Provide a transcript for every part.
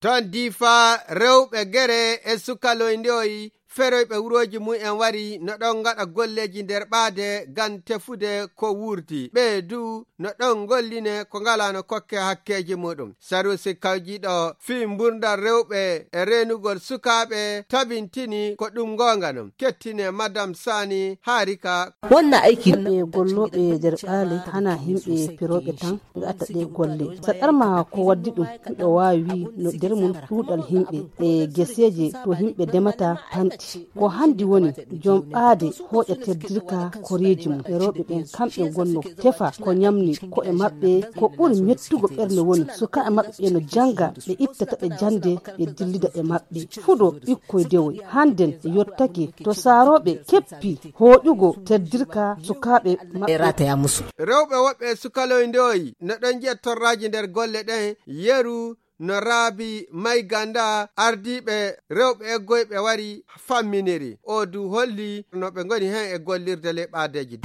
ton difa rewɓe gere e sukaloyndeyoyi feroyɓe wuroji mu'en wari no ɗon gaɗa golleji nder ɓaade gam tefude ko wurti. ɓe du no ɗon golline ko ngalano kokke hakkeji muɗum. Sarusi kawjiɗo fi mburdal rewɓe e renugol sukaɓe tabintini ko ɗum gonga non. Kettine Madame Sani Harika. Wannan aiki ɓe golloɓe nder ɓaale hana himɓe piroɓe tan ɓe atta ɗe golle. Saɗarma ko waddi ɗum ɓe wawi wi no nder mum ɗuɗal himɓe e geseje to himɓe demata tanti. Ko handi woni jom ɓaade hoƴa teddirka koreji mum e rewɓe ɓen kamɓe gonno tefa ko nyamni ko e maɓɓe ko ɓuri mettugo ɓernde woni suka e maɓɓe ɓe no janga ɓe ittata ɓe jande ɓe dillida e maɓɓe fuɗo ɓikkoye dewoy handen e yottake to saaroɓe keppi hoƴugo teddirka sukaɓe maɓɓe rataya musu. Rewɓe woɓɓe sukaloyndeyoyi no ɗon jiya torraji nder golle ɗen yeru no Raabi May Ganda ardiɓe rewɓe eggoyɓe wari famminiri o du holli no ɓe goni hen e gollirde le ɓaadeji.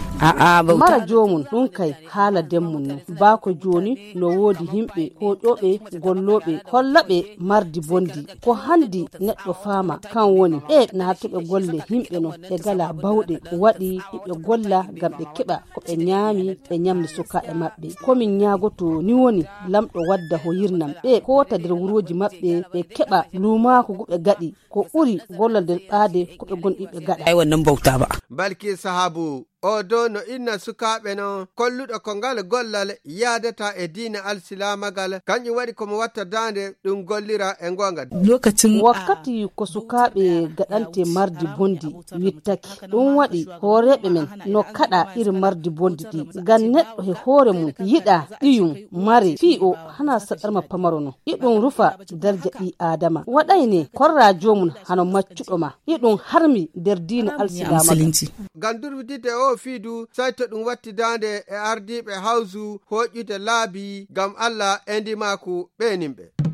Mara jomum ɗum kay haala demmum no baako joni no woodi himɓe hoƴoɓe golloɓe hollaɓe mardi bondi ko handi neɗɗo faama kan woni naatuɓe golle himɓe no ɓe gala bawɗe waɗi ɓe golla gam ɓe keɓa ko ɓe nyaami ɓe nyamni suka e maɓɓe. komin ñaagoto ni woni lamɗo wadda hoyirnam ɓe kota nder wuroji maɓɓe ɓe keɓa lumaako go ɓe gaɗi ko ɓuri gollal nder ɓaade ko ɓe gonɗi ɓe gaɗa. Wannan bauta ba. Balki sahabu o do no inna sukaɓe no kolluɗo ko ngal gollal yaadata e diina alsilamagal kanƴum waɗi komo watta dande ɗum gollira e gonga. Lokacin wakkati ko sukaɓe gaɗante mardi bondi wittaki ɗum waɗi hooreɓe men no kaɗa irin mardi bondi ɗi ngam neɗɗo e hoore mum yiɗa ɗiyum mare fi o hana saɗarma pamaro no iɗum rufa darja ɗi adama waɗayne korra jomum hano maccuɗo ma iɗum harmi nder diina alsilamagal. Ngam durwidide o fiidu sai to ɗum watti dande e ardiɓe hawsu hoƴƴude laabi gam Allah e ndimaku ɓenimɓe.